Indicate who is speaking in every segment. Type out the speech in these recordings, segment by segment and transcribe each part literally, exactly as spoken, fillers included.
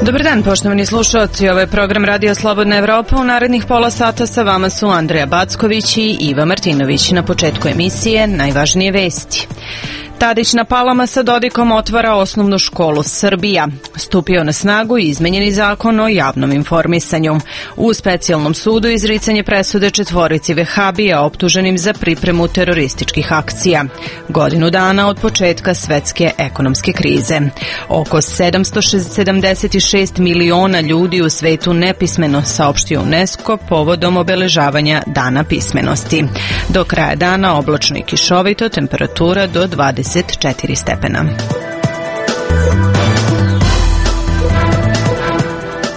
Speaker 1: Dobar dan, poštovani slušalci. Ovo je program Radio Slobodna Evropa. U narednih pola sata sa vama su Andreja Backović i Iva Martinović. Na početku emisije najvažnije vesti. Tadić na Palama sa Dodikom otvara osnovnu školu Srbija. Stupio na snagu izmenjeni zakon o javnom informisanju. U specijalnom sudu izricanje presude četvorici vehabija optuženim za pripremu terorističkih akcija. Godinu dana od početka svetske ekonomske krize. Oko sedamsto sedamdeset šest miliona ljudi u svetu nepismeno, saopštio UNESCO povodom obeležavanja Dana pismenosti. Do kraja dana oblačno i kišovito, temperatura do dvadeset četiri stepena.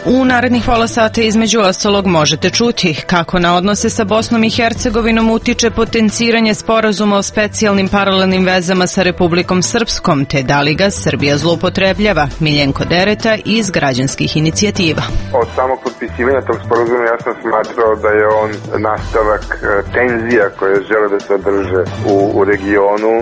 Speaker 1: U narednih pola sata između ostalog možete čuti kako na odnose sa Bosnom i Hercegovinom utiče potenciranje sporazuma o specijalnim paralelnim vezama sa Republikom Srpskom, te da li ga Srbija zloupotrebljava. Miljenko Dereta iz Građanskih inicijativa.
Speaker 2: Od samog potpisivanja tog sporazuma ja sam smatrao da je on nastavak tenzija koje žele da se održe u, u regionu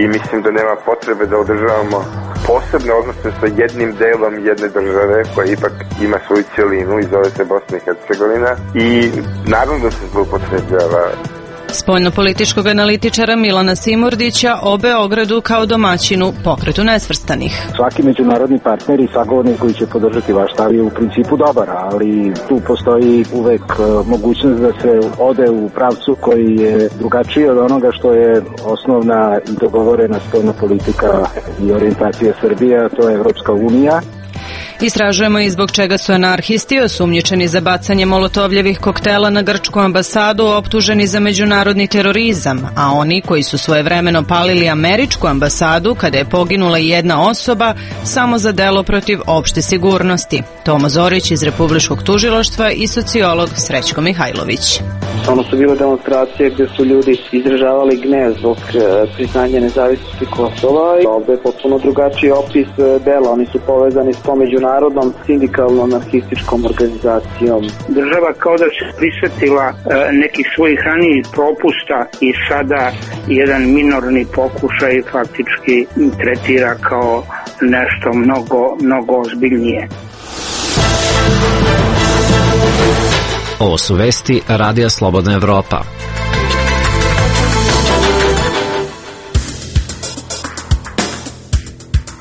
Speaker 2: i mislim da nema potrebe da održavamo posebne odnose sa jednim delom jedne države koja ipak ima svoju cijelinu i zove se Bosna i Hercegovina i naravno da se zloupotrebljava.
Speaker 1: Spoljnopolitičkog analitičara Milana Simurdića o Beogradu kao domaćinu Pokretu nesvrstanih.
Speaker 3: Svaki međunarodni partner i sagovornik koji će podržati vaš stav je u principu dobar, ali tu postoji uvek mogućnost da se ode u pravcu koji je drugačiji od onoga što je osnovna i dogovorena spoljna politika i orijentacija Srbije, a to je Evropska unija.
Speaker 1: Istražujemo i zbog čega su anarhisti osumnjičeni za bacanje molotovljevih koktela na grčku ambasadu optuženi za međunarodni terorizam, a oni koji su svojevremeno palili američku ambasadu kada je poginula jedna osoba samo za delo protiv opšte sigurnosti. Tomo Zorić iz Republičkog tužilaštva i sociolog Srećko Mihajlović.
Speaker 4: Ono su bile demonstracije gdje su ljudi izražavali gnev zbog priznanja nezavisnosti Kosova i ovdje je potpuno drugačiji opis dela. Oni su povezani s tom međunarodnom sindikalno-anarhističkom organizacijom.
Speaker 5: Država kao da se prisjetila nekih svojih ranijih propusta i sada jedan minorni pokušaj faktički tretira kao nešto mnogo, mnogo ozbiljnije.
Speaker 6: Ovo su vesti Radija Slobodna Evropa.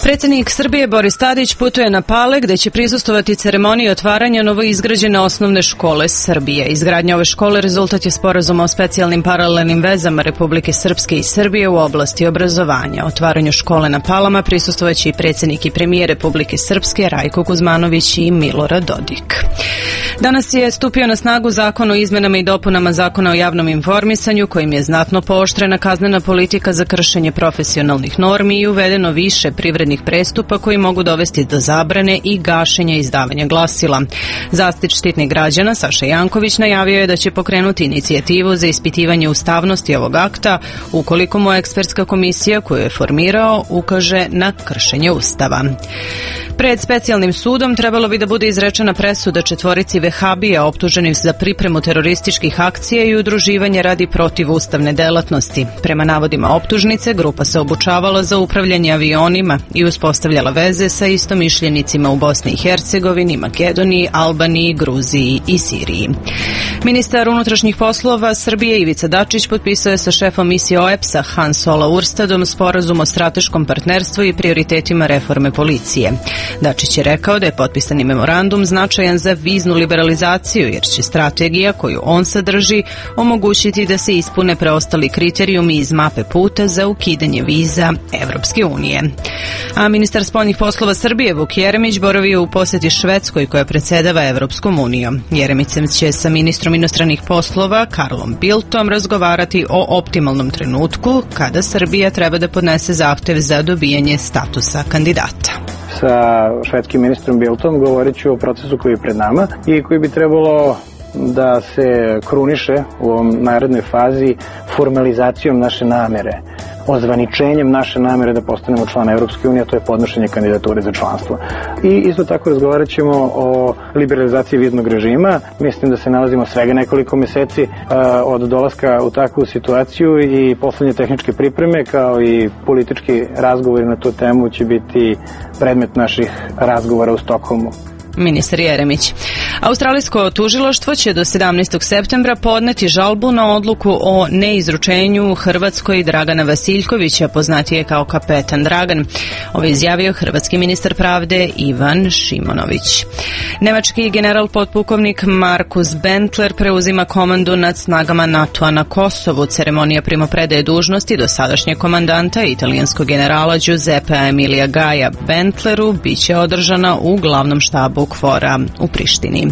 Speaker 1: Predsjednik Srbije Boris Tadić putuje na Pale gdje će prisustvovati ceremoniji otvaranja novoizgrađene osnovne škole Srbije. Izgradnja ove škole rezultat je sporazuma o specijalnim paralelnim vezama Republike Srpske i Srbije u oblasti obrazovanja. Otvaranju škole na Palama prisustvovaće i predsjednik i premijer Republike Srpske Rajko Kuzmanović i Milorad Dodik. Danas je stupio na snagu zakon o izmenama i dopunama Zakona o javnom informisanju kojim je znatno pooštrena kaznena politika za kršenje profesionalnih normi i uvedeno više privrednih prestupa koji mogu dovesti do zabrane i gašenja izdavanja glasila. Zaštitnik građana Saša Janković najavio je da će pokrenuti inicijativu za ispitivanje ustavnosti ovog akta ukoliko mu ekspertska komisija koju je formirao ukaže na kršenje Ustava. Pred specijalnim sudom trebalo bi da bude izrečena presuda četvorici vehabija optuženih za pripremu terorističkih akcija i udruživanje radi protivustavne delatnosti. Prema navodima optužnice, grupa se obučavala za upravljanje avionima i uspostavljala veze sa istomišljenicima u Bosni i Hercegovini, Makedoniji, Albaniji, Gruziji i Siriji. Ministar unutrašnjih poslova Srbije Ivica Dačić potpisao je sa šefom misije O E P S-a Hans Ola Urstadom sporazum o strateškom partnerstvu i prioritetima reforme policije. Dačić je rekao da je potpisani memorandum značajan za viznu liberalizaciju jer će strategija koju on sadrži omogućiti da se ispune preostali kriterijumi iz mape puta za ukidanje viza Evropske unije. A ministar spoljnih poslova Srbije Vuk Jeremić boravio u posjeti Švedskoj koja predsjedava Evropskom unijom. Jeremić će sa ministrom inostranih poslova Karlom Bildtom razgovarati o optimalnom trenutku kada Srbija treba da podnese zahtev za dobijanje statusa kandidata.
Speaker 3: Sa švedskim ministrom Bildtom govorit ću o procesu koji je pred nama i koji bi trebalo da se kruniše u ovom narednoj fazi formalizacijom naše namere ozvaničenjem naše namere da postanemo član Evropske unije, a to je podnošenje kandidature za članstvo. I isto tako razgovarat ćemo o liberalizaciji viznog režima. Mislim da se nalazimo svega nekoliko meseci uh, od dolaska u takvu situaciju i poslednje tehničke pripreme kao i politički razgovori na tu temu će biti predmet naših razgovora u Stokholmu.
Speaker 1: Ministar Jeremić. Australijsko tužilaštvo će do sedamnaestog septembra podneti žalbu na odluku o neizručenju Hrvatskoj Dragana Vasiljkovića, poznatije kao kapetan Dragan. Ovo je izjavio hrvatski ministar pravde Ivan Šimonović. Nemački general potpukovnik Markus Bentler preuzima komandu nad snagama NATO-a na Kosovu. Ceremonija primopredaje dužnosti do sadašnjeg komandanta italijanskog generala Giuseppea Emilija Gaja Bentleru biće održana u glavnom štabu KFOR-a u Prištini.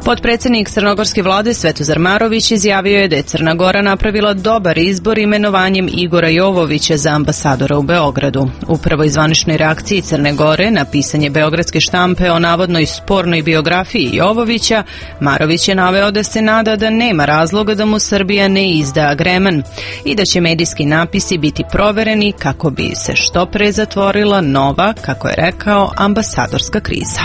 Speaker 1: Potpredsjednik crnogorske vlade Svetozar Marović izjavio je da je Crna Gora napravila dobar izbor imenovanjem Igora Jovovića za ambasadora u Beogradu. Upravo iz zvaničnoj reakciji Crne Gore na pisanje beogradske štampe o navodnoj spornoj biografiji Jovovića, Marović je naveo da se nada da nema razloga da mu Srbija ne izda agreman i da će medijski napisi biti provereni kako bi se što pre zatvorila nova, kako je rekao, ambasadorska kriza.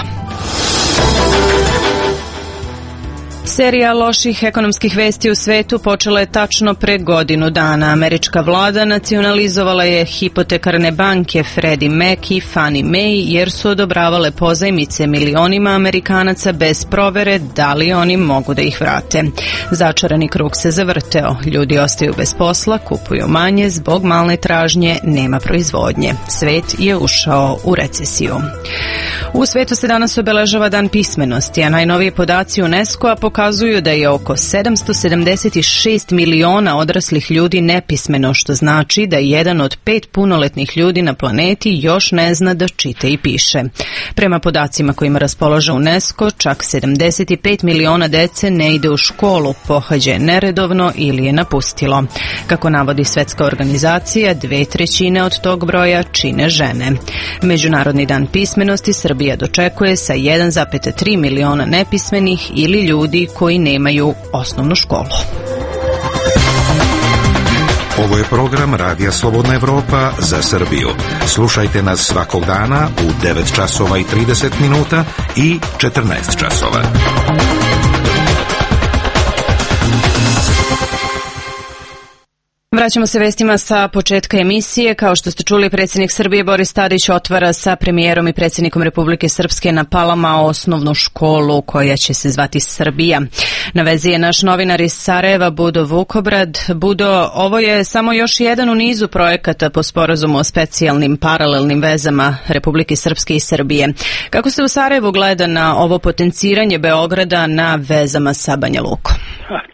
Speaker 1: Serija loših ekonomskih vesti u svetu počela je tačno pre godinu dana. Američka vlada nacionalizovala je hipotekarne banke Freddie Mac i Fannie Mae jer su odobravale pozajmice milionima Amerikanaca bez provere da li oni mogu da ih vrate. Začarani krug se zavrteo. Ljudi ostaju bez posla, kupuju manje, zbog malne tražnje nema proizvodnje. Svet je ušao u recesiju. U svetu se danas obeležava Dan pismenosti, a najnoviji podaci UNESCO-a pokazuju da je oko sedamsto sedamdeset šest miliona odraslih ljudi nepismeno, što znači da jedan od pet punoletnih ljudi na planeti još ne zna da čita i piše. Prema podacima kojima raspolaže UNESCO, čak sedamdeset pet miliona dece ne ide u školu, pohađa je neredovno ili je napustilo. Kako navodi Svetska organizacija, dve trećine od tog broja čine žene. Međunarodni dan pismenosti Srbija dočekuje sa jedan zarez tri miliona nepismenih ili ljudi koji nemaju osnovnu školu.
Speaker 7: Ovo je program Radija Slobodna Evropa za Srbiju. Slušajte nas svakog dana u devet časova i trideset minuta i četrnaest časova.
Speaker 1: Vraćamo se vestima sa početka emisije. Kao što ste čuli, predsjednik Srbije Boris Tadić otvara sa premijerom i predsjednikom Republike Srpske na Palama osnovnu školu koja će se zvati Srbija. Na vezi je naš novinar iz Sarajeva, Budo Vukobrad. Budo, ovo je samo još jedan u nizu projekata po sporazumu o specijalnim paralelnim vezama Republike Srpske i Srbije. Kako se u Sarajevu gleda na ovo potenciranje Beograda na vezama sa Banja Lukom?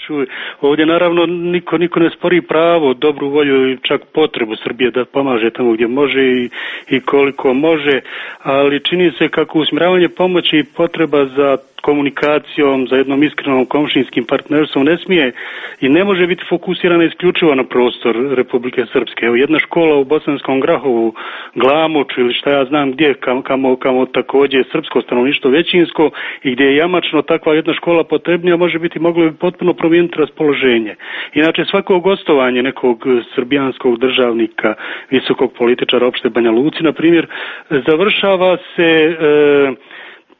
Speaker 8: Čuj, ovdje naravno niko, niko ne spori pravo, dobru volju i čak potrebu Srbije da pomaže tamo gdje može i, i koliko može, ali čini se kako usmjeravanje pomoći i potreba za komunikacijom, za jednom iskrenom komšinskim partnerstvom ne smije i ne može biti fokusirana isključivo na prostor Republike Srpske. Evo, jedna škola u Bosanskom Grahovu, Glamoču ili šta ja znam gdje, kamo, kamo također je srpsko stanovništvo većinsko i gdje je jamačno takva jedna škola potrebnija, može biti moglo bi potpuno promijeniti raspoloženje. Inače, svako gostovanje nekog srbijanskog državnika, visokog političara opšte Banja Luci, na primjer, završava se e,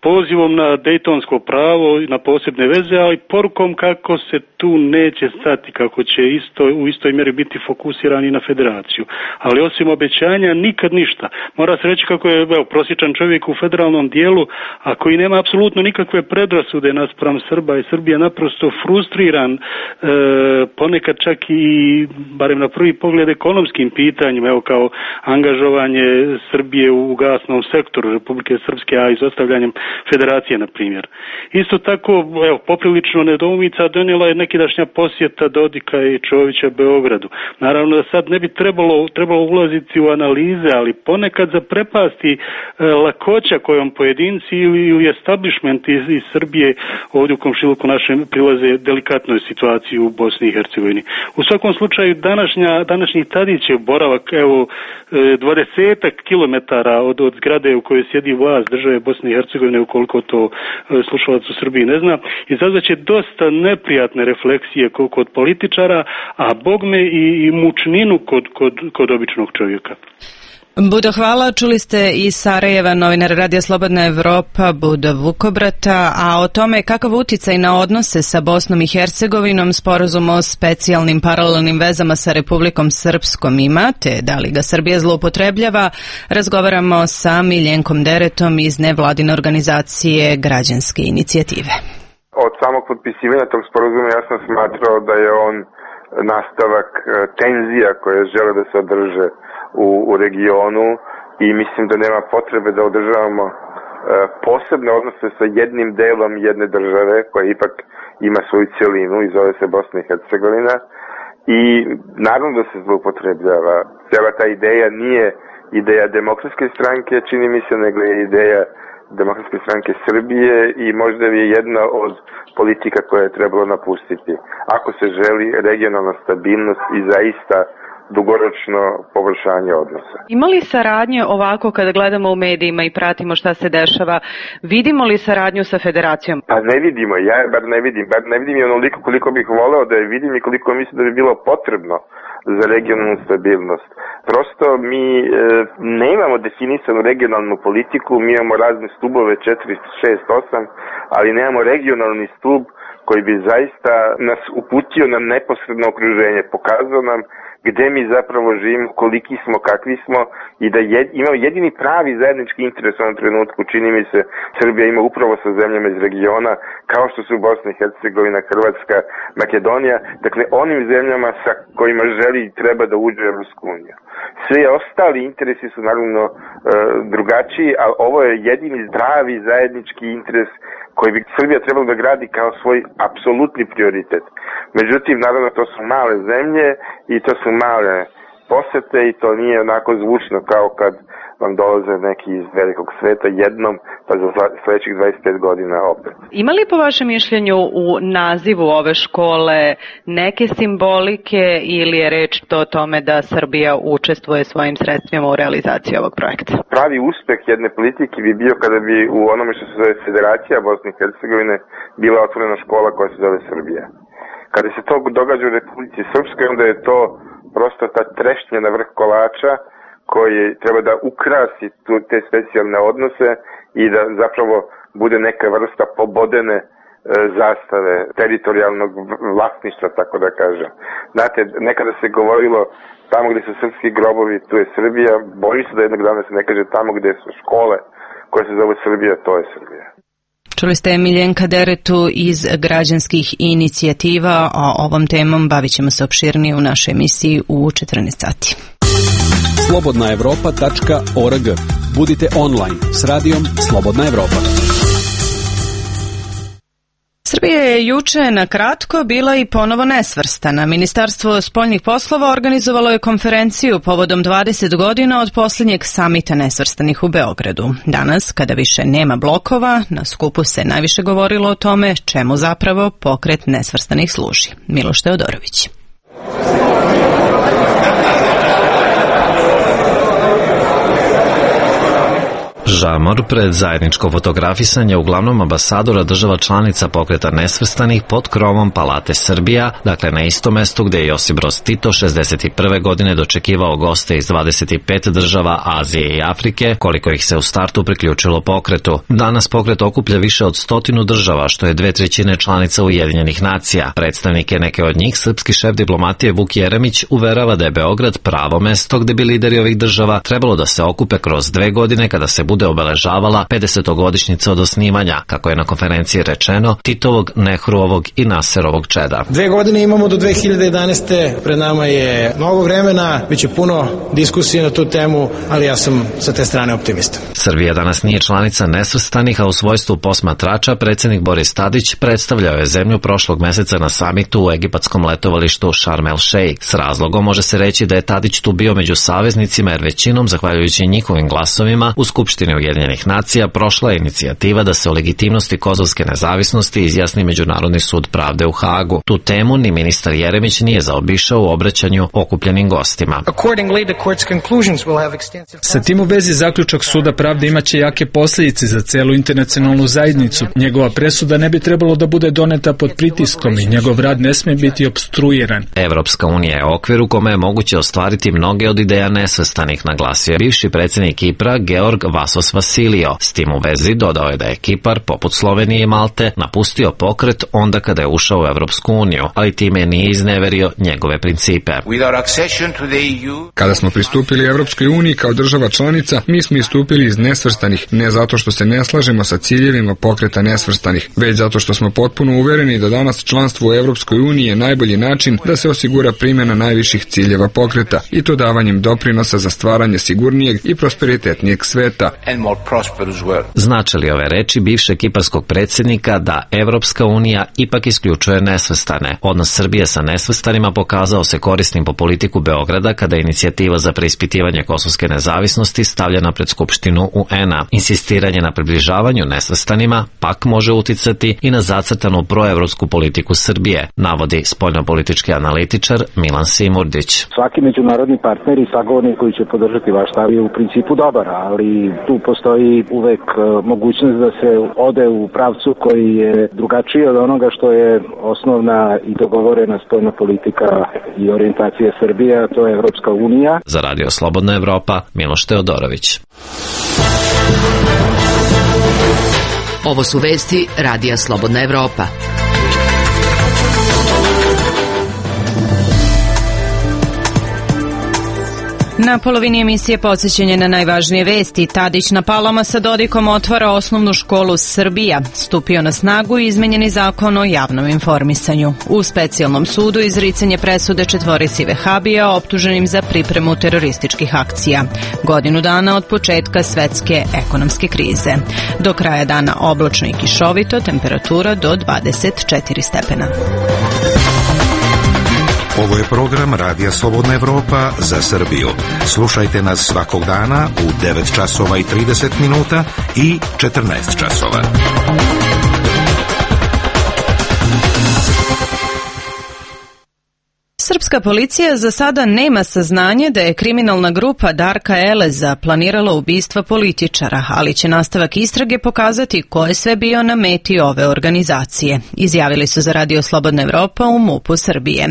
Speaker 8: pozivom na dejtonsko pravo i na posebne veze, ali porukom kako se tu neće stati, kako će isto, u istoj mjeri biti fokusirani na federaciju. Ali osim obećanja nikad ništa. Mora se reći kako je evo, prosječan čovjek u federalnom dijelu, a koji nema apsolutno nikakve predrasude naspram Srba i Srbija naprosto frustriran, e, ponekad čak i, barem na prvi pogled, ekonomskim pitanjima, evo kao angažovanje Srbije u gasnom sektoru Republike Srpske, a izostavljanjem federacije, na primjer. Isto tako, evo, poprilično nedoumica donijela je nekidašnja posjeta Dodika i Čovića Beogradu. Naravno da sad ne bi trebalo, trebalo ulaziti u analize, ali ponekad zaprepasti e, lakoća kojom pojedinci ili, ili establishment iz, iz Srbije ovdje u komšiluku našem prilaze delikatnoj situaciji u Bosni i Hercegovini. U svakom slučaju današnja, današnji Tadićev boravak, evo, dvadesetak kilometara od, od zgrade u kojoj sjedi vlast države Bosne i Hercegovine ukoliko to slušalac u Srbiji ne zna, izazvaće dosta neprijatne refleksije kod političara, a bogme i, i mučninu kod, kod, kod običnog čovjeka.
Speaker 1: Budo, hvala. Čuli ste iz Sarajeva novinar Radija Slobodna Evropa Budo Vukobrata, a o tome kakav uticaj na odnose sa Bosnom i Hercegovinom sporazum o specijalnim paralelnim vezama sa Republikom Srpskom ima, te da li ga Srbija zloupotrebljava, razgovaramo sa Miljenkom Deretom iz nevladine organizacije Građanske inicijative.
Speaker 2: Od samog potpisivanja tog sporazuma ja sam smatrao da je on nastavak tenzija koje žele da se održe U, u regionu i mislim da nema potrebe da održavamo e, posebne odnose sa jednim delom jedne države koja ipak ima svoju celinu i zove se Bosna i Hercegovina i naravno da se zloupotrebljava. Cijela ta ideja nije ideja Demokratske stranke, čini mi se, nego je ideja Demokratske stranke Srbije i možda je jedna od politika koje je trebalo napustiti. Ako se želi regionalna stabilnost i zaista dugoročno poboljšanje odnosa.
Speaker 1: Ima li saradnje ovako kada gledamo u medijima i pratimo šta se dešava, vidimo li saradnju sa federacijom?
Speaker 2: Pa ne vidimo, ja bar ne vidim, bar ne vidim i onoliko koliko bih voleo da je vidim i koliko mislim da bi bilo potrebno za regionalnu stabilnost. Prosto mi e, ne imamo definisanu regionalnu politiku, mi imamo razne stubove četiri, šest, osam, ali nemamo regionalni stub koji bi zaista nas uputio na neposredno okruženje, pokazao nam gde mi zapravo živimo, koliki smo, kakvi smo i da jed, imamo jedini pravi zajednički interes u ovom trenutku, čini mi se, Srbija ima upravo sa zemljama iz regiona, kao što su Bosna i Hercegovina, Hrvatska, Makedonija, dakle onim zemljama sa kojima želi i treba da uđe u Evropsku uniju. Sve ostali interesi su naravno e, drugačiji, ali ovo je jedini pravi zajednički interes koji bi Srbija trebala da gradi kao svoj apsolutni prioritet. Međutim, naravno, to su male zemlje i to su male posete i to nije onako zvučno kao kad vam dolaze neki iz velikog sveta jednom, pa za sledećih dvadeset pet godina opet.
Speaker 1: Ima li po vašem mišljenju u nazivu ove škole neke simbolike ili je reč to o tome da Srbija učestvuje svojim sredstvima u realizaciji ovog projekta?
Speaker 2: Pravi uspeh jedne politike bi bio kada bi u onome što se zove Federacija Bosne i Hercegovine bila otvorena škola koja se zove Srbija. Kada se to događa u Republici Srpskoj, onda je to prosto ta trešnja na vrh kolača koji treba da ukrasi tu, te specijalne odnose i da zapravo bude neka vrsta pobodene e, zastave, teritorijalnog vlasništva, tako da kažem. Znate, nekada se govorilo tamo gde su srpski grobovi, tu je Srbija, bojim se da jednog dana se ne kaže tamo gde su škole koje se zove Srbija, to je Srbija.
Speaker 1: Čuli ste Miljenka Deretu iz Građanskih inicijativa, a ovom temom bavit ćemo se opširnije u našoj emisiji u četrnaest sati.
Speaker 9: slobodna evropa tačka org. Budite online s radijom Slobodna Evropa.
Speaker 1: Srbija je juče na kratko bila i ponovo nesvrstana. Ministarstvo spoljnih poslova organizovalo je konferenciju povodom dvadeset godina od posljednjeg samita nesvrstanih u Beogradu. Danas, kada više nema blokova, na skupu se najviše govorilo o tome čemu zapravo pokret nesvrstanih služi. Miloš Teodorović.
Speaker 6: Žamor pred zajedničko fotografisanje uglavnom ambasadora država članica pokreta nesvrstanih pod krovom Palate Srbija, dakle na istom mestu gde je Josip Broz Tito šezdeset prve godine dočekivao goste iz dvadeset pet država Azije i Afrike, koliko ih se u startu priključilo pokretu. Danas pokret okuplja više od stotinu država, što je dve trećine članica Ujedinjenih nacija. Predstavnike neke od njih, srpski šef diplomatije Vuk Jeremić uverava da je Beograd pravo mesto gde bi lideri ovih država trebalo da se okupe kroz dve godine kada se bude obeležavala pedesetogodišnjica od osnivanja, kako je na konferenciji rečeno, Titovog, Nehruovog i Naserovog čeda.
Speaker 10: Dve godine imamo do dve hiljade jedanaeste. Pred nama je mnogo vremena, biće puno diskusije na tu temu, ali ja sam sa te strane optimista.
Speaker 6: Srbija danas nije članica nesvrstanih, a u svojstvu posmatrača predsjednik Boris Tadić predstavljao je zemlju prošlog meseca na samitu u egipatskom letovalištu Sharm el Sheikh. S razlogom može se reći da je Tadić tu bio među saveznicima, jer većinom, zahvaljujući njihovim glasovima, u Skupštini Ujedinjenih nacija prošla je inicijativa da se o legitimnosti kosovske nezavisnosti izjasni Međunarodni sud pravde u Hagu. Tu temu ni ministar Jeremić nije zaobišao u obraćanju okupljenim gostima.
Speaker 11: Sa tim u vezi zaključak Suda pravde imaće jake posljedice za celu internacionalnu zajednicu. Njegova presuda ne bi trebalo da bude doneta pod pritiskom i njegov rad ne smije biti opstruiran.
Speaker 6: Evropska unija je okvir u kome je moguće ostvariti mnoge od ideja nesvrstanih, naglasio je bivši predsjednik Kipra Georg Vasos Vasilio. S tim u vezi dodao je da je Kipar, poput Slovenije i Malte, napustio pokret onda kada je ušao u Evropsku uniju, ali time nije izneverio njegove principe.
Speaker 12: Kada smo pristupili Evropskoj uniji kao država članica, mi smo istupili iz nesvrstanih, ne zato što se ne slažemo sa ciljevima pokreta nesvrstanih, već zato što smo potpuno uvereni da danas članstvo u Evropskoj uniji je najbolji način da se osigura primjena najviših ciljeva pokreta, i to davanjem doprinosa za stvaranje sigurnijeg i prosperitetnijeg sveta.
Speaker 6: Znače li ove reči bivšeg kiparskog predsjednika da Evropska unija ipak isključuje nesvrstane? Odnos Srbije sa nesvrstanima pokazao se korisnim po politiku Beograda kada je inicijativa za preispitivanje kosovske nezavisnosti stavljena pred Skupštinu U N A. Insistiranje na približavanju nesvrstanima pak može uticati i na zacrtanu proevropsku politiku Srbije, navodi spoljnopolitički analitičar Milan Simurdić.
Speaker 3: Svaki međunarodni partner i sagovornik koji će podržati vaš stav je u principu dobar, ali tu postoji uvek mogućnost da se ode u pravcu koji je drugačiji od onoga što je osnovna i dogovorena spoljna politika i orijentacija Srbije, a to je Evropska unija.
Speaker 6: Za Radio Slobodna Evropa, Miloš Teodorović.
Speaker 13: Ovo su vesti Radija Slobodna Evropa.
Speaker 1: Na polovini emisije podsjećanje na najvažnije vesti. Tadić na Palama sa Dodikom otvara osnovnu školu Srbija. Stupio na snagu i izmenjeni zakon o javnom informisanju. U specijalnom sudu izricanje presude četvorici vehabija optuženim za pripremu terorističkih akcija. Godinu dana od početka svetske ekonomske krize. Do kraja dana oblačno i kišovito, temperatura do dvadeset četiri stepena.
Speaker 7: Ovo je program Radija Slobodna Evropa za Srbiju. Slušajte nas svakog dana u devet časova i trideset minuta i četrnaest časova.
Speaker 1: Srpska policija za sada nema saznanje da je kriminalna grupa Darka Eleza planirala ubistva političara, ali će nastavak istrage pokazati ko je sve bio na meti ove organizacije. Izjavili su za Radio Slobodna Evropa u MUP-u Srbije.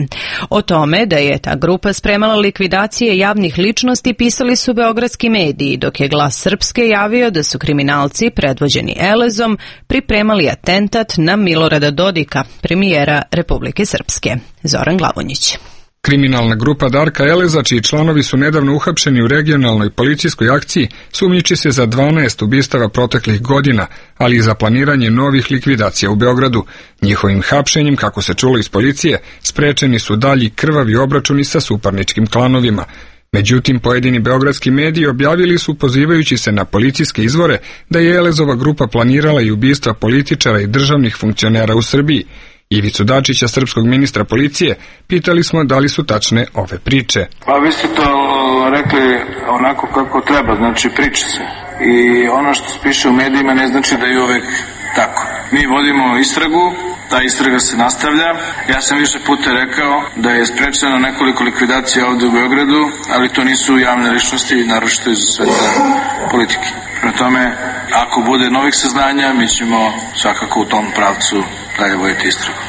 Speaker 1: O tome da je ta grupa spremala likvidacije javnih ličnosti pisali su beogradski mediji, dok je Glas Srpske javio da su kriminalci predvođeni Elezom pripremali atentat na Milorada Dodika, premijera Republike Srpske. Zoran Glavonjić.
Speaker 12: Kriminalna grupa Darka Eleza, čiji članovi su nedavno uhapšeni u regionalnoj policijskoj akciji, sumnjiči se za dvanaest ubistava proteklih godina, ali i za planiranje novih likvidacija u Beogradu. Njihovim hapšenjem, kako se čulo iz policije, sprečeni su dalji krvavi obračuni sa suparničkim klanovima. Međutim, pojedini beogradski mediji objavili su, pozivajući se na policijske izvore, da je Elezova grupa planirala i ubistva političara i državnih funkcionera u Srbiji. Ivicu Dačića, srpskog ministra policije, pitali smo da li su tačne ove priče.
Speaker 14: Pa vi ste to rekli onako kako treba, znači priča se. I ono što se piše u medijima ne znači da je uvek tako. Mi vodimo istragu, ta istraga se nastavlja. Ja sam više puta rekao da je sprečeno nekoliko likvidacija ovde u Beogradu, ali to nisu javne ličnosti, naročito iz sveta politike. Prema tome, ako bude novih saznanja, mi ćemo svakako u tom pravcu dalje voditi istragu.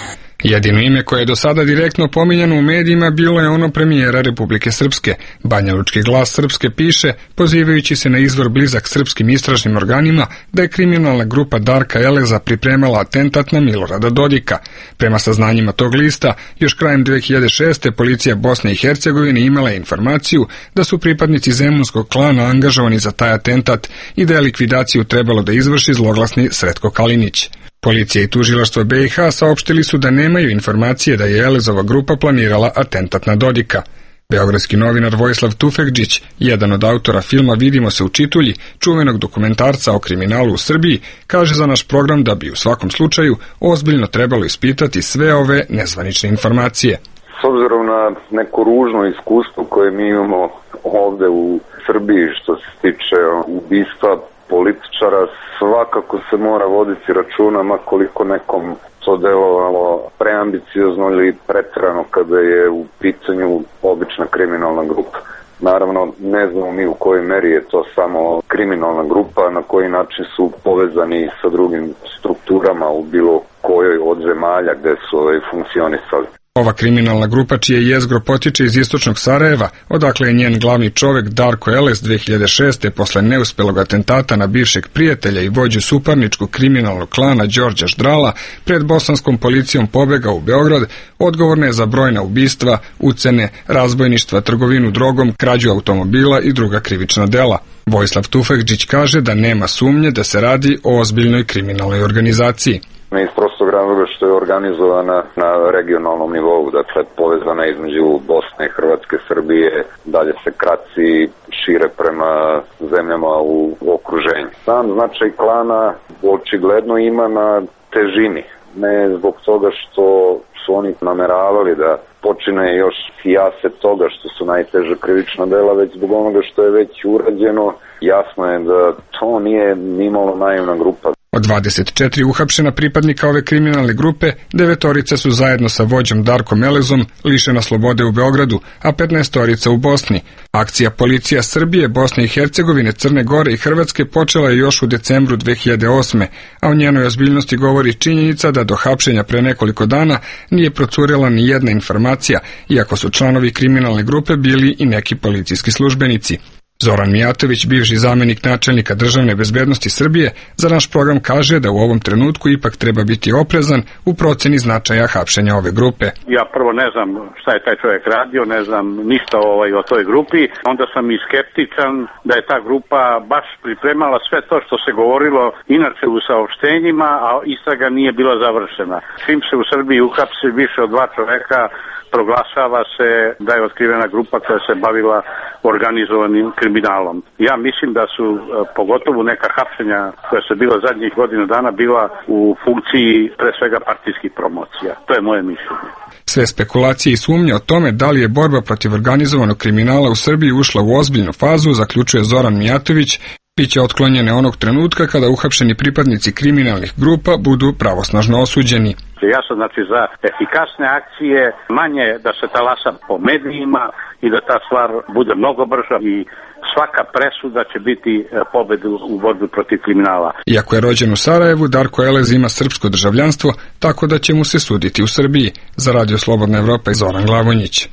Speaker 12: Jedino ime koje je do sada direktno pominjano u medijima bilo je ono premijera Republike Srpske. Banjalučki Glas Srpske piše, pozivajući se na izvor blizak srpskim istražnim organima, da je kriminalna grupa Darka Eleza pripremala atentat na Milorada Dodika. Prema saznanjima tog lista, još krajem dve hiljade šeste. policija Bosne i Hercegovine imala je informaciju da su pripadnici zemunskog klana angažovani za taj atentat i da je likvidaciju trebalo da izvrši zloglasni Sretko Kalinić. Policija i tužilaštvo B i H saopštili su da nemaju informacije da je Elezova grupa planirala atentat na Dodika. Beogradski novinar Vojislav Tufekđić, jedan od autora filma Vidimo se u Čitulji, čuvenog dokumentarca o kriminalu u Srbiji, kaže za naš program da bi u svakom slučaju ozbiljno trebalo ispitati sve ove nezvanične informacije.
Speaker 2: S obzirom na neko ružno iskustvo koje mi imamo ovde u Srbiji što se tiče ubistva političara svakako se mora voditi računa, ma koliko nekom to delovalo preambiciozno ili preterano kada je u pitanju obična kriminalna grupa. Naravno, ne znamo mi u kojoj meri je to samo kriminalna grupa, na koji način su povezani sa drugim strukturama u bilo kojoj od zemalja gde su ovaj, funkcionisali.
Speaker 12: Ova kriminalna grupa, čije jezgro potiče iz istočnog Sarajeva, odakle je njen glavni čovek Darko Eles dve hiljade šeste. posle neuspelog atentata na bivšeg prijatelja i vođu suparničkog kriminalnog klana Đorđa Ždrala pred bosanskom policijom pobegao u Beograd, odgovorna je za brojna ubistva, ucene, razbojništva, trgovinu drogom, krađu automobila i druga krivična dela. Vojislav Tufekđić kaže da nema sumnje da se radi o ozbiljnoj kriminalnoj organizaciji.
Speaker 2: Iz prostog razloga što je organizovana na regionalnom nivou, dakle povezana između Bosne i Hrvatske, Srbije, dalje se kraci šire prema zemljama u okruženju. Sam značaj klana očigledno ima na težini, ne zbog toga što su oni nameravali da počine još sijase toga što su najteže krivična dela, već zbog onoga što je već urađeno. Jasno je da to nije nimalo naivna grupa.
Speaker 12: Od dvadeset četiri uhapšena pripadnika ove kriminalne grupe, devetorica su zajedno sa vođom Darkom Elezom lišena slobode u Beogradu, a petnaestorica u Bosni. Akcija policija Srbije, Bosne i Hercegovine, Crne Gore i Hrvatske počela je još u decembru dve hiljade osme. a o njenoj ozbiljnosti govori činjenica da do hapšenja pre nekoliko dana nije procurela ni jedna informacija, iako su članovi kriminalne grupe bili i neki policijski službenici. Zoran Mijatović, bivši zamenik načelnika državne bezbednosti Srbije, za naš program kaže da u ovom trenutku ipak treba biti oprezan u proceni značaja hapšenja ove grupe.
Speaker 15: Ja prvo ne znam šta je taj čovjek radio, ne znam ništa ovaj, o toj grupi, onda sam i skeptičan da je ta grupa baš pripremala sve to što se govorilo inače u saopštenjima, a istraga nije bila završena. Čim se u Srbiji uhapsi više od dva čoveka, proglašava se da je otkrivena grupa koja se bavila organizovanim kriminalom. Ja mislim da su pogotovo neka hapšenja koja su bila zadnjih godina dana bila u funkciji pre svega partijskih promocija. To je moje mišljenje.
Speaker 12: Sve spekulacije i sumnje o tome da li je borba protiv organizovanog kriminala u Srbiji ušla u ozbiljnu fazu, zaključuje Zoran Mijatović, biće otklonjene onog trenutka kada uhapšeni pripadnici kriminalnih grupa budu pravosnažno osuđeni.
Speaker 15: Ja sam znači za efikasne akcije, manje da se talasa po medijima i da ta stvar bude mnogo brža i svaka presuda će biti pobedu u borbi protiv kriminala.
Speaker 12: Iako je rođen u Sarajevu, Darko Elez ima srpsko državljanstvo, tako da će mu se suditi u Srbiji. Za Radio Slobodna Evropa i Zoran Glavonjić.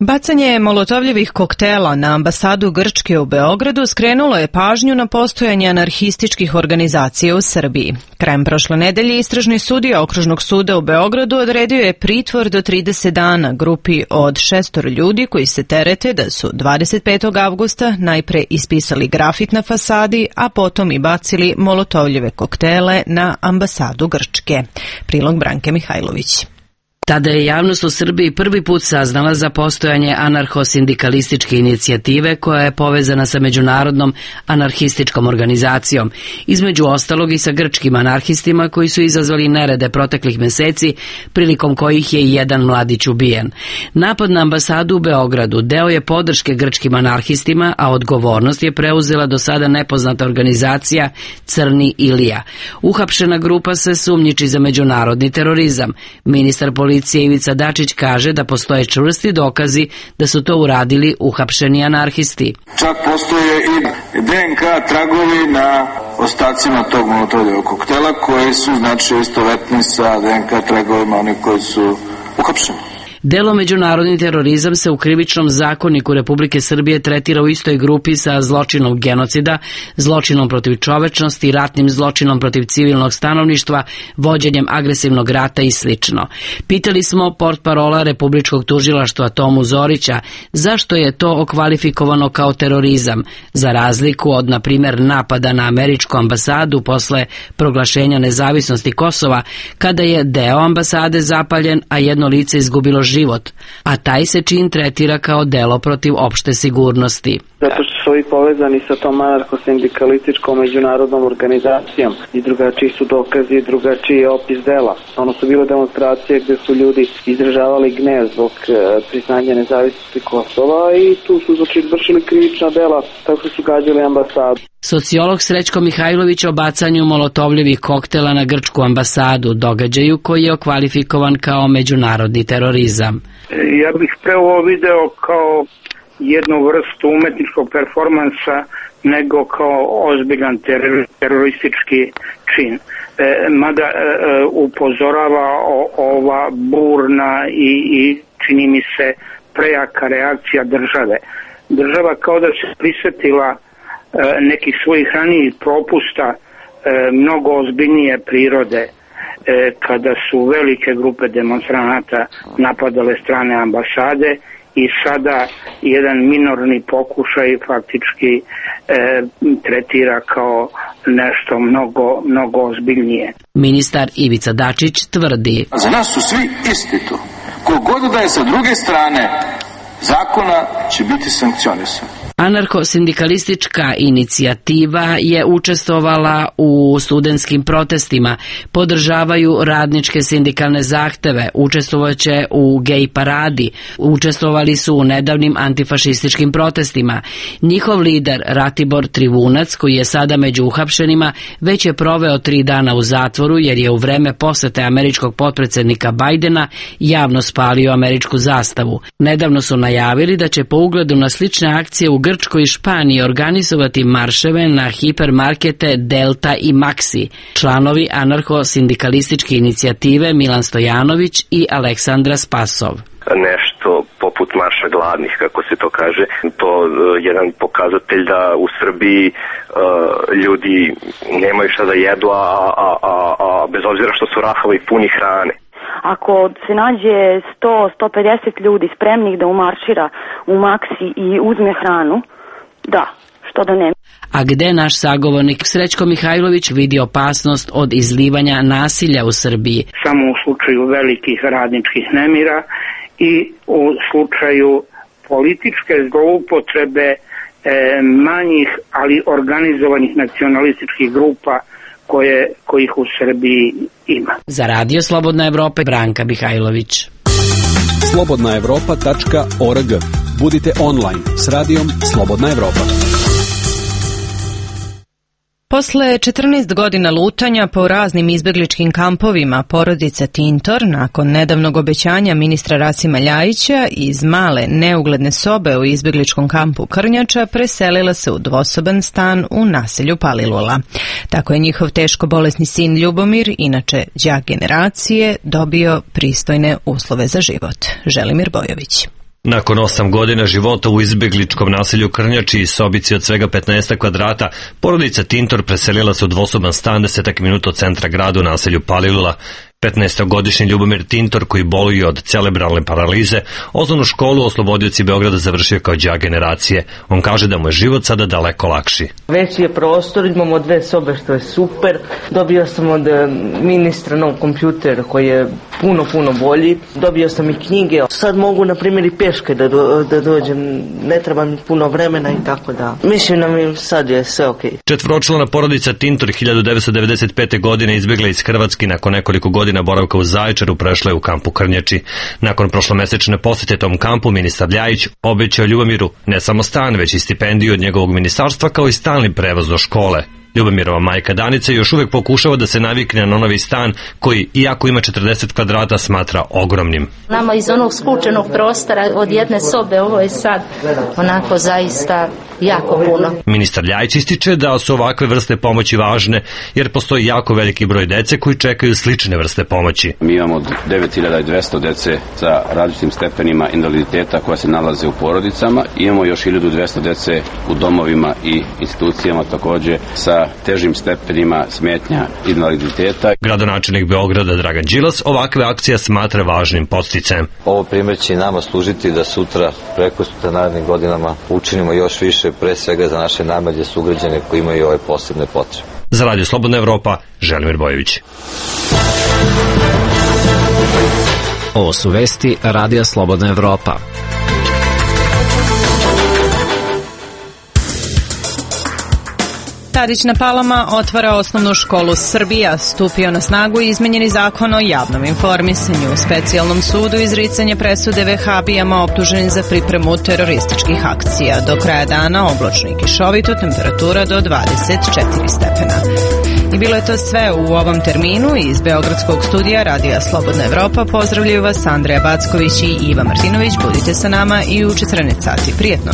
Speaker 1: Bacanje molotovljevih koktela na ambasadu Grčke u Beogradu skrenulo je pažnju na postojanje anarhističkih organizacija u Srbiji. Krajem prošle nedelje istražni sudija Okružnog suda u Beogradu odredio je pritvor do trideset dana grupi od šestor ljudi koji se terete da su dvadeset petog avgusta najpre ispisali grafit na fasadi, a potom i bacili molotovljeve koktele na ambasadu Grčke. Prilog Branke Mihajlović.
Speaker 16: Tada je javnost u Srbiji prvi put saznala za postojanje anarcho-sindikalističke inicijative koja je povezana sa međunarodnom anarhističkom organizacijom, između ostalog i sa grčkim anarhistima koji su izazvali nerede proteklih meseci, prilikom kojih je i jedan mladić ubijen. Napad na ambasadu u Beogradu deo je podrške grčkim anarhistima, a odgovornost je preuzela do sada nepoznata organizacija Crni Ilija. Uhapšena grupa se sumnjiči za međunarodni terorizam. Ministar policije Policija Ivica Dačić kaže da postoje čvrsti dokazi da su to uradili uhapšeni anarhisti.
Speaker 14: Čak postoje i de en ka tragovi na ostacima tog molotovljevog koktela koji su znači istovetni sa de en ka tragovima onih koji su uhapšeni.
Speaker 16: Delo međunarodni terorizam se u krivičnom zakoniku Republike Srbije tretira u istoj grupi sa zločinom genocida, zločinom protiv čovečnosti, ratnim zločinom protiv civilnog stanovništva, vođenjem agresivnog rata i slično. Pitali smo portparola Republičkog tužilaštva Tomu Zorića zašto je to okvalifikovano kao terorizam, za razliku od, na primjer, napada na američku ambasadu posle proglašenja nezavisnosti Kosova, kada je deo ambasade zapaljen, a jedno lice izgubilo život život, a taj se čin tretira kao delo protiv opšte sigurnosti.
Speaker 4: Zato što su ovi povezani sa tom anarcho-sindikalističkom međunarodnom organizacijom i drugačiji su dokazi i drugačiji je opis dela. Ono su bile demonstracije gde su ljudi izražavali gnev zbog priznanja nezavisnosti Kosova i tu su znači vršili krivična dela, tako su gađali ambasadu.
Speaker 16: Sociolog Srećko Mihajlović o bacanju molotovljevih koktela na grčku ambasadu, događaju koji je okvalifikovan kao međunarodni terorizam.
Speaker 5: Ja bih pre ovo video kao jednu vrstu umetničkog performansa nego kao ozbiljan teror, teroristički čin. E, mada e, upozorava o, ova burna i, i čini mi se prejaka reakcija države. Država kao da se prisetila e, nekih svojih ranijih propusta e, mnogo ozbiljnije prirode, e, kada su velike grupe demonstranata napadale strane ambasade i sada jedan minorni pokušaj faktički e, tretira kao nešto mnogo, mnogo ozbiljnije.
Speaker 16: Ministar Ivica Dačić tvrdi:
Speaker 14: za nas su svi isti tu. Kogod da je sa druge strane zakona će biti sankcionisan.
Speaker 16: Anarcho-sindikalistička inicijativa je učestvovala u studentskim protestima, podržavaju radničke sindikalne zahteve, učestvovaće u gej paradi, učestvovali su u nedavnim antifašističkim protestima. Njihov lider Ratibor Trivunac, koji je sada među uhapšenima, već je proveo tri dana u zatvoru jer je u vreme posete američkog potpredsednika Bajdena javno spalio američku zastavu. Nedavno su najavili da će po ugledu na slične akcije u Grčkoj i Španiji organizovati marševe na hipermarkete Delta i Maxi. Članovi anarcho-sindikalističke inicijative Milan Stojanović i Aleksandra Spasov.
Speaker 17: Nešto poput marša gladnih, kako se to kaže, to je jedan pokazatelj da u Srbiji uh, ljudi nemaju šta da jedu, a, a, a, a bez obzira što su rahavi puni hrane.
Speaker 18: Ako se nađe sto do sto pedeset ljudi spremnih da umaršira u Maxi i uzme hranu, da, što da ne.
Speaker 16: A gde naš sagovornik Srećko Mihajlović vidi opasnost od izlivanja nasilja u Srbiji?
Speaker 5: Samo u slučaju velikih radničkih nemira i u slučaju političke zloupotrebe e, manjih, ali organizovanih nacionalističkih grupa koje, kojih u Srbiji ima.
Speaker 16: Za Radio Slobodna Evropa, Branka Mihajlović.
Speaker 9: slobodna evropa tačka org. Budite online s radijom Slobodna Evropa.
Speaker 1: Posle četrnaest godina lutanja po raznim izbegličkim kampovima, porodica Tintor, nakon nedavnog obećanja ministra Rasima Ljajića, iz male neugledne sobe u izbegličkom kampu Krnjača preselila se u dvosoban stan u naselju Palilula. Tako je njihov teško bolesni sin Ljubomir, inače đak generacije, dobio pristojne uslove za život. Želimir Bojović.
Speaker 19: Nakon osam godina života u izbegličkom naselju Krnjači i sobici od svega petnaest kvadrata, porodica Tintor preselila se u dvosoban stan desetak minuta od centra grada u naselju Palilula. petnaestogodišnji Ljubomir Tintor, koji boluje od cerebralne paralize, osnovnu školu u Oslobodioci Beograda završio kao đak generacije. On kaže da mu je život sada daleko lakši.
Speaker 20: Veći je prostor, imamo dve sobe što je super. Dobio sam od ministra nov kompjuter koji je puno, puno bolji. Dobio sam i knjige. Sad mogu, na primjer, i peške da, do, da dođem. Ne treba mi puno vremena i tako da. Mislim da mi sad je sve okej. Okay.
Speaker 19: Četvoročlana porodica Tintor hiljadu devetsto devedeset pete. godine izbjegla iz Hrvatske, nakon nekoliko godina boravka u Zaječaru prešla je u kampu Krnjači. Nakon prošlomesečne posete tom kampu, ministar Ljajić obećao Ljubomiru ne samo stan, već i stipendiju od njegovog ministarstva, kao i stalni prevoz do škole. Ljubomirova majka Danica još uvek pokušava da se navikne na novi stan koji, iako ima četrdeset kvadrata, smatra ogromnim.
Speaker 21: Nama iz onog skučenog prostora od jedne sobe ovo je sad onako zaista jako puno.
Speaker 19: Ministar Ljajić ističe da su ovakve vrste pomoći važne jer postoji jako veliki broj dece koji čekaju slične vrste pomoći.
Speaker 22: Mi imamo devet hiljada dvesta dece sa različitim stepenima invaliditeta koja se nalaze u porodicama. Imamo još hiljadu dvesta dece u domovima i institucijama takođe sa težim stepenima smetnja invaliditeta.
Speaker 19: Gradonačelnik Beograda Dragan Đilas ovakve akcije smatra važnim podsticajem.
Speaker 23: Ovo primjer će nama služiti da sutra, preko sutra, narednim godinama učinimo još više, pre svega za naše najmlađe sugrađane koji imaju ove posebne potrebe.
Speaker 19: Za Radio Slobodna Evropa, Želimir Bojović.
Speaker 6: Ovo su vesti Radija Slobodna Evropa.
Speaker 1: Tadić na Palama otvara osnovnu školu Srbija. Stupio na snagu izmenjeni zakon o javnom informisanju. U specijalnom sudu izricanje presude vehabijama optuženim za pripremu terorističkih akcija. Do kraja dana oblačno i kišovito, temperatura do dvadeset četiri stepena. I bilo je to sve u ovom terminu. Iz Beogradskog studija Radija Slobodna Evropa pozdravljaju vas Andreja Backović i Iva Martinović. Budite sa nama i u četrnaest sati. Prijetno!